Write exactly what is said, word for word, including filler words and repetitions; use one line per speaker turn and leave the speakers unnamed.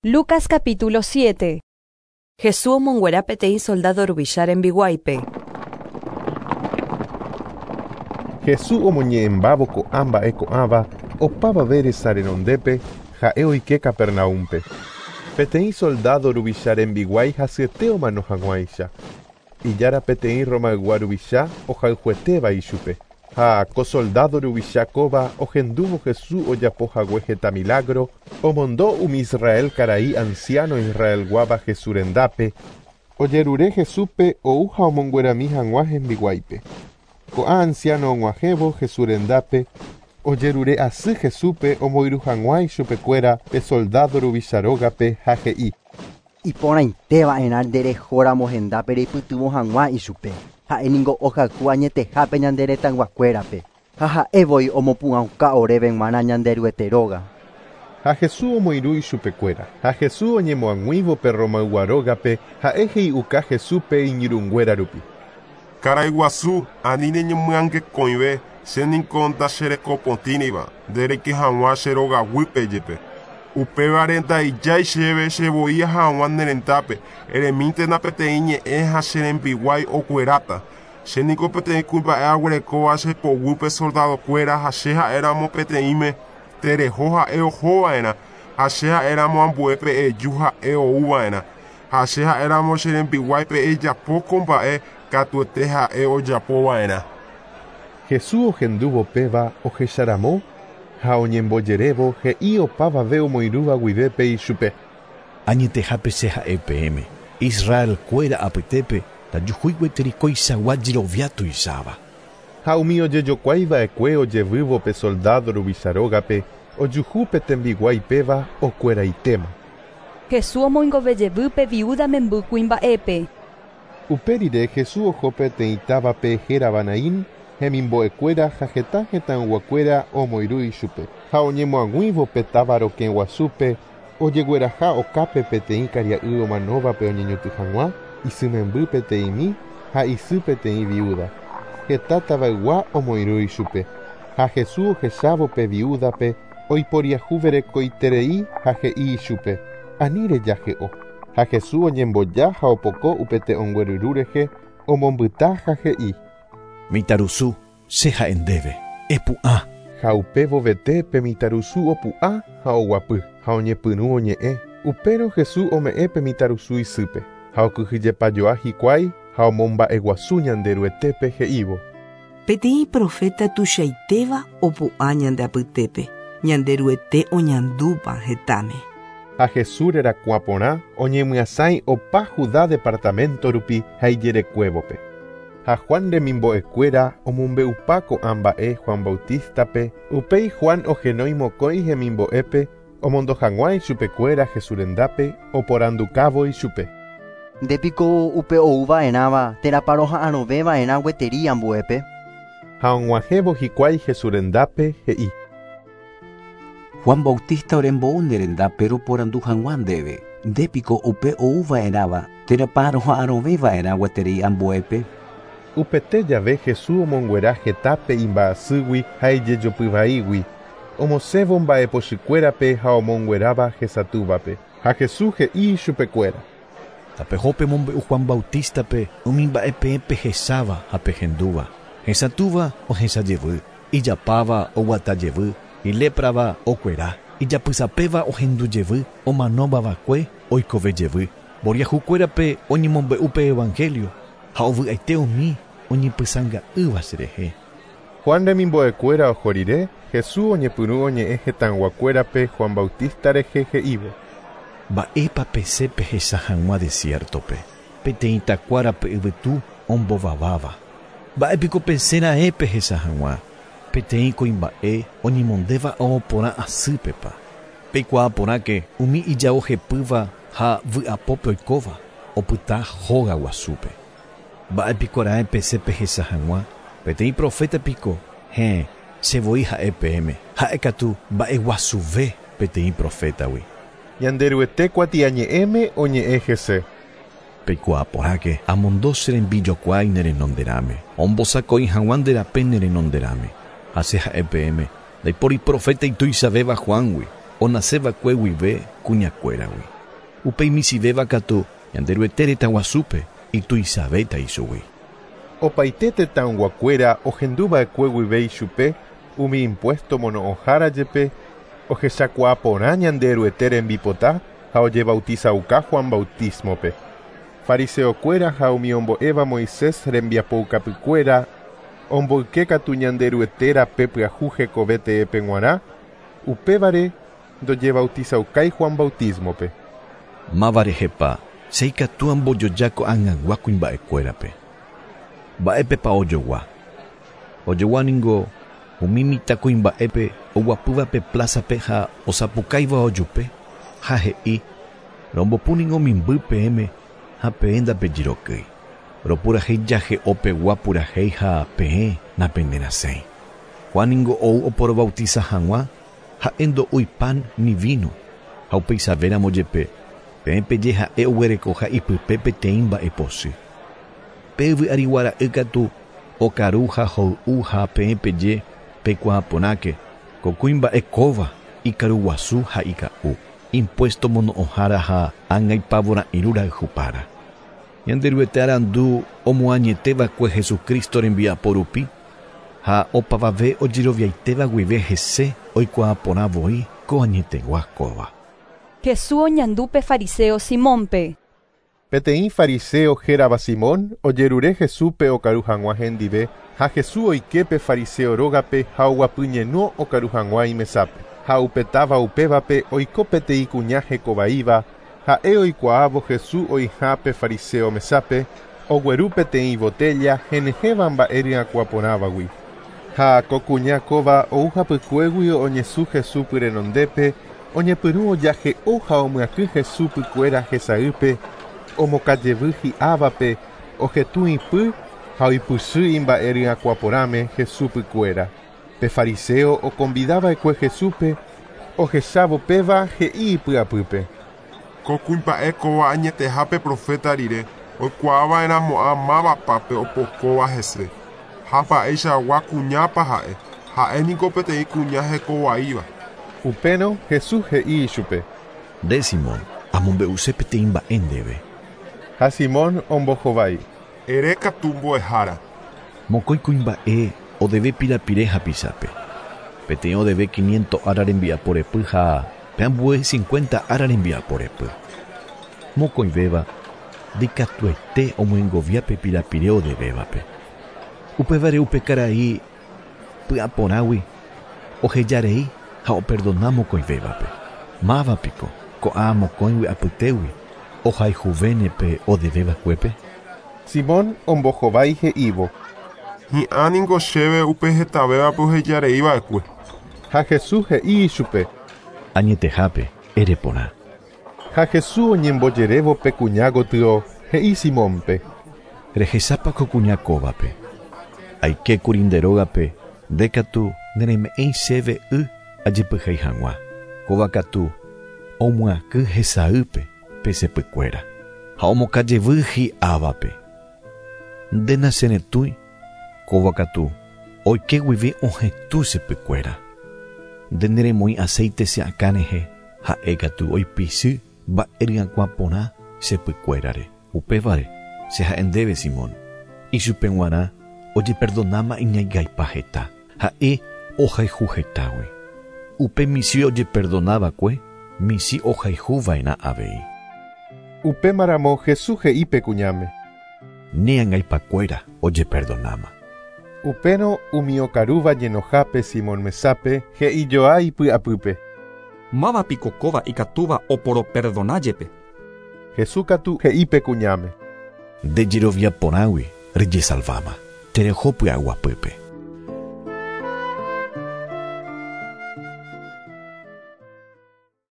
Lucas capítulo siete.
Jesús omonguera peteĩ soldado ruvicha rembiguáipe.
Jesús omoñe'ẽmbávo ko'ã mba'e ko'ãva opavave resa renondépe ha'e oike Capernaúmpe. Peteĩ soldado ruvicha rembiguái hasyete omano hag̃uáicha. Ijára peteĩ Romaygua ruvicha ohayhuetéva ichupe. Ha ko soldado ruvicha kóva ohendúvo Jesús ojapo hague heta milagro, omondo umi Israel karai anciano Israelguáva Jesús rendápe, ojerure Jesúspe ou ha omonguerami hag̃ua hembiguáipe. Ko'ã anciano og̃uahẽvo Jesús rendápe, ojerure asy Jesúspe omoirũ hag̃ua ichupekuéra pe soldado ruvicha rógape ha he'i:
Iporãiteva'erã nderehóramo hendápe reipytyvõ hag̃ua ichupe. Ha'éniko ohayhu añetehápe ñande retãyguakuérape ha ha'évoi omopu'ãuka oréve g̃uarã Ñanderuete róga.
Ha Jesús omoirũ ichupekuéra. Ha Jesús oñemoag̃uívo pe Romaygua rógape ha'e he'iuka Jesúspe iñirũnguéra rupi.
Karai guasu ani neñemyangekõive che niko ndacherekopotĩriva ndereike hag̃ua che rogaguýpe jepe. Upévare ndaijái chéve chevoi hag̃ua ne rendápe eremíntena peteĩ ñe'ẽ ha che rembiguái okueráta. Che niko peteĩ kuimba'e aguerekóva che poguýpe soldadokuéra ha che ha'éramo peteĩme tereho ha'e ohova'erã ha che ha'éramo ambuépe eju ha'e ouva'erã ha che ha'éramo che rembiguáipe ejapo ko mba'e katuete ha'e ojapova'erã.
Jesús ohendúvo péva ohecharamo ha oñembojerévo he'i opavave omoirũva guivépe ichupe.
Añetehápe che ha'e peẽme Israelkuéra apytépe ndajuhúi gueteri koichagua jerovia tuicháva.
Ha umi ojejokuaiva'ekue ojevývo pe soldado ruvicha rógape ojuhu pe tembiguái péva okueraitéma.
Jesús omoingovejevy pe viuda memby kuimba'épe.
Upe rire Jesús oho peteĩ távape hérava Naín, hemimbo'ekuéra ha heta hetãyguakuéra omoirũ ichupe. Ha oñemoag̃uívo pe táva rokẽ guasúpe ojegueraha okápe peteĩ karia'y omanóvape oñeñotỹ hag̃ua, isy memby peteĩmi ha isy peteĩ viuda. Heta tavaygua omoirũ ichupe. Ha Jesús ohechávo pe viudape oiporiahuverekoiterei ha he'i ichupe: Ani rejahe'o. Ha Jesús oñemboja ha opoko upe te'õngueryru rehe omombyta ha he'i:
Mitãrusu, che ha'e ndéve, epu'ã.
Ha upévovete pe mitãrusu opu'ã ha oguapy ha oñepyrũ oñe'ẽ. Upérõ Jesús ome'ẽ pe mitãrusu isýpe ha okyhyjepajoa hikuái ha omomba'eguasu Ñanderuetépe he'ívo:
Peteĩ profeta tuichaitéva opu'ã ñande apytépe, Ñanderuete oñandúpa hetãme.
Ha Jesús rerakuã porã oñemyasãi opa Judá departamento rupi ha ijerekuévope. Ha Juan remimbo'ekuéra omombe'upa ko'ã mba'e Juan Bautistape, upéi Juan ohenói mokõi hemimbo'épe omondo hag̃ua ichupekuéra Jesús rendápe oporandukávo ichupe.
Ndépiko upe ouva'erãva térãpa roha'arõveva'erã gueteri ambuépe.
Ha og̃uahẽvo hikuái Jesús rendápe he'i:
Juan Bautista orembo'u ne rendápe roporandu hag̃ua ndéve. Ndépiko upe ouva'erãva térãpa roha'arõveva'erã gueteri ambuépe.
Upete jave Jesús omonguera hetápe imba'asýgui ha ijejopyvaígui, omosẽvo mba'epochykuérape ha omongueráva hesatũvape. Ha Jesús he'i ichupekuéra:
Tapeho pemombe'u Juan Bautistape umi mba'e peẽ pehecháva ha pehendúva. Hesatũva ohechajevy, ijapáva oguatajevy, iléprava okuera, ijapysapéva ohendujevy, omanóvavakue oikovejevy. Mboriahukuérape oñemombe'u pe evangelio ha ovy'aite umi oñepysãnga'ỹva cherehe.
Juan remimbo'ekuéra oho rire, Jesús oñepyrũ oñe'ẽ hetãyguakuérape Juan Bautista rehe he'ívo:
Mba'épa pesẽ pehecha hag̃ua desiertope, peteĩ takuárape yvytu ombovaváva. Mba'épiko pesẽra'e pehecha hag̃ua, peteĩ kuimba'e oñemondéva ao porã asýpepa. Peikuaa porãke umi ijao hepýva ha vy'apópe oikóva opyta hóga guasúpe. Mba'épiko ra'e pesẽ pehecha hag̃ua, peteĩ profeta piko, héẽ, chevoi ha'e peẽme, ha'ékatu mba'eguasuve peteĩ profetagui.
Ñanderuete kuatiañe'ẽme oñe'ẽ hese.
Peikuaa porãke amondo che rembijokuái ne renonderãme, ombosako'i hag̃ua nde rape ne renonderãme. Ha che ha'e peẽme, ndaipóri profeta ituichavéva Juangui. onaseva'ekue guive kuñakuéragui. Upéi michĩvéva katu Ñanderuete retã guasúpe ituichavéta ichugui.
Opaite tetãyguakuéra ohenduva'ekue guive ichupe umi impuesto mono'õhára jepe ohechakuaa porã Ñanderuete rembipota ha ojebautizauka Juan bautismope. Fariseokuéra ha umi ombo'éva Moisés rembiapoukapykuéra omboyke katu Ñanderuete rape pyahu hekove teépe g̃uarã, upévare ndojebautizaukái Juan bautismope.
Máva rehepa che ikatu ambojoja ko'ag̃agua kuimba'ekuérape. Mba'épepa ojogua. Ojogua ningo umi mitãkuimba'épe oguapývape plazape ha osapukáiva ojupe ha he'i rombopu ningo mimby peẽme ha peẽ ndapejirokýi. Ropurahéi jahe'ópegua purahéi ha peẽ napenerasẽi. Juan ningo ou oporobautiza hag̃ua ha'e ndo'úi pan ni vino ha upeichavéramo jepe peẽ peje ha'e oguerekoha ipype peteĩ mba'epochy. Pe yvy'ariguara'y katu okaru ha hoy'u ha peẽ peje peikuaaporãke ko kuimba'e kóva ikaruguasu ha ika'u impuesto mono'õhára ha angaipavora'irũ rayhupára. Ñanderuete arandu omoañeteva'ekue Jesucristo rembiapo rupi ha opavave ojeroviaitéva guive hese oikuaaporã voi ko añetegua kóva.
Jesús oñandu pe fariseo Simónpe.
Peteĩ fariseo hérava Simón ojerure Jesúspe okaru hag̃ua hendive ha Jesús oike pe fariseo rógape ha oguapyñeno okaru hag̃ua imesápe. Ha upetáva upévape oiko peteĩ kuña hekovaíva ha'e oikuaávo Jesús oĩha pe fariseo mesápe ogueru peteĩ botella henyhẽva mba'e ryakuãporãvagui. Ha ko kuña kóva ou hapykuégui oñesũ Jesús pyrenondépe oñepyrũ ojahe'o ha omyakỹ Jesús pykuéra hesaýpe omokajevy hi'ávape ohetũ ipy ha oipysy imba'e ryakuãporãme Jesús pykuéra. Pe fariseo oconvidava'ekue Jesúspe ohechávo péva he'i ipy'apýpe.
Ko kuimba'e kóva añetehápe profeta rire oikuaava'erãmo'ã mávapa opokóva hese. Ha mba'eichagua kuñápa ha'e, ha'e niko peteĩ kuña hekovaíva.
Upérõ Jesús he'i ichupe.
Nde Simón, amombe'use peteĩ mba'e ndéve.
Ha Simón ombohovái.
Ere katu mbo'ehára.
Mokõi kuimba'e odeve pirapire hapichápe. Peteĩ odeve quinientos ára rembiaporepy ha pe ambue cincuenta ára rembiaporepy. Mokõivéva ndikatuete omyengovia pe pirapire odevévape. Upévare upe karai py'aporãgui ohejarei ha operdona mokõivévape. Mávapiko ko'ã mokõigui apytégui ohayhuvéne odeveva'ekuépe.
Simón ombohovái he'ívo.
Hi'ã niko chéve upe hetavévape ohejareiva'ekue.
Ha Jesús he'i ichupe.
Añetehápe ere porã.
Ha Jesús oñembojerévo pe kuña gotyo he'i Simónpe.
Rehechápa ko kuña kóvape. Aikékuri nde rógape nde katu nereme'ẽi chéve y ajepyhéi hag̃ua. Kóva katu omyakỹ hesaýpe pe sepykuéra ha omokajevy hi'ávape. Nde nacheretũi kóva katu oike guive ohetũ sepykuéra. Nde neremoĩ aceite che akã rehe ha'e katu oipichy mba'e ryakuãporã sepykuérare. Upévare che ha'e ndéve Simón. Ichupe g̃uarã ojeperdonáma iñaigaipa heta ha'e ohayhu hetágui. Upe michĩ ojeperdonava'ekue michĩ ohayhuva'erã avei.
Upémaramo Jesús he'i pe kuñáme.
Ne angaipakuéra ojeperdonáma.
Upérõ umi okarúva ñenohápe Simón mesápe he'ijoa ipy'apýpe.
Mávapiko kóva ikatúva oporoperdoná jepe.
Jesús katu he'i pe kuñáme.
Nde jerovia porãgui rejesalváma. Tereho py'aguapýpe.